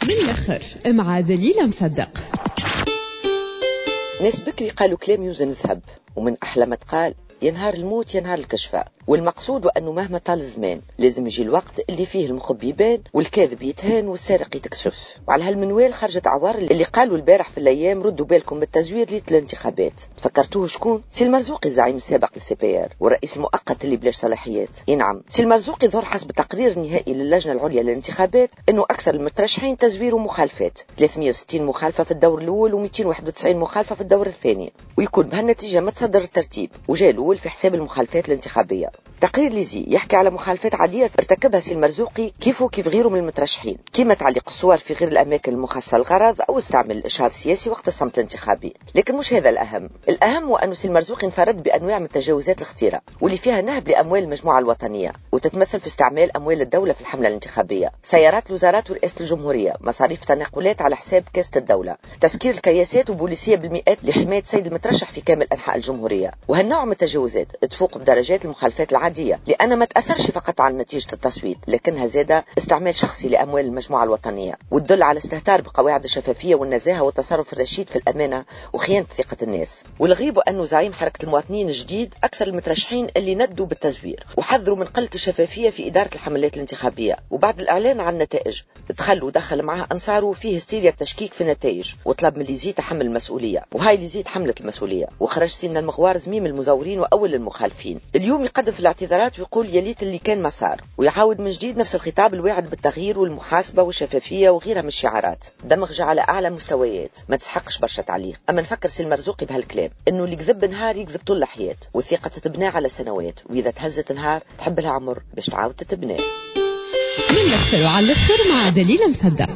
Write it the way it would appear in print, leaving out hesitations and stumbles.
من الاخر مع دليلة مصدق. ناس بكري قالوا كلام يوزن ذهب، ومن أحلى ما تقال يا نهار الموت يا نهار الكشفة. والمقصود أنه مهما طال الزمان لازم يجي الوقت اللي فيه المخبي يبان والكاذب يتهان والسارق يتكشف. وعلى هالمنوال خرجت عوار اللي قالوا البارح في الايام ردوا بالكم بالتزوير ليلة الانتخابات. فكرتوه شكون؟ سي المرزوقي الزعيم السابق لل CPR والرئيس المؤقت اللي بلاش صلاحيات. اي نعم، سي المرزوقي ظهر حسب التقرير النهائي للجنة العليا للانتخابات انه اكثر المترشحين تزوير ومخالفات، 360 مخالفة في الدور الاول و291 مخالفة في الدور الثاني، ويكون بهالنتيجه متصدر الترتيب وجاء الاول في حساب المخالفات الانتخابية. تقرير l'ISIE يحكي على مخالفات عادية ارتكبها سي المرزوقي كيفه كيف غيره من المترشحين، كما تعليق الصور في غير الأماكن المخصصة للغرض أو استعمال الإشهار السياسي وقت الصمت الانتخابي. لكن مش هذا الأهم، الأهم هو أن سي المرزوقي انفرد بأنواع من التجاوزات الخطيرة واللي فيها نهب لأموال المجموعة الوطنية، وتتمثل في استعمال أموال الدولة في الحملة الانتخابية، سيارات الوزارات ورئاسة الجمهورية، مصاريف تنقلات على حساب كاسة الدولة، تسكير الكياسات وبوليسية بالمئات لحماية سيد المترشح في كامل أنحاء الجمهورية. وهالنوع من التجاوزات تفوق بدرجات المخالفات العادية، لأن ما تأثرش فقط على نتيجة التصويت، لكنها زادة استعمال شخصي لأموال المجموعة الوطنية، وتدل على استهتار بقواعد الشفافية والنزاهة والتصرف الرشيد في الأمانة وخيانة ثقة الناس. والغريب أنه زعيم حركة المواطنين الجديد أكثر المترشحين اللي ندوا بالتزوير وحذروا من قلة الشفافية في إدارة الحملات الانتخابية، وبعد الإعلان عن النتائج دخل ودخل معه أنصاره فيه هستيريا التشكيك في النتائج وطلب من l'ISIE تحمل المسؤولية، وهاي l'ISIE تحملت المسؤولية وخرج سيدنا المغوار زميم المزورين وأول المخالفين. اليوم يقدم في الاعتذارات ويقول يا ليت اللي كان ما صار، ويعاود من جديد نفس الخطاب الواعد بالتغيير والمحاسبة والشفافية وغيرها من الشعارات. دمغجة على أعلى مستويات ما تسحقش برشا تعليق. أما نفكر سي المرزوقي بهالكلام إنه اللي كذب نهار يكذب طول الحياة، والثقة تتبنى على سنوات، وإذا تهزت نهار تحب لها عمر باش تعاود تتبنى. من الآخر وعلى الآخر مع دليلة مصدق.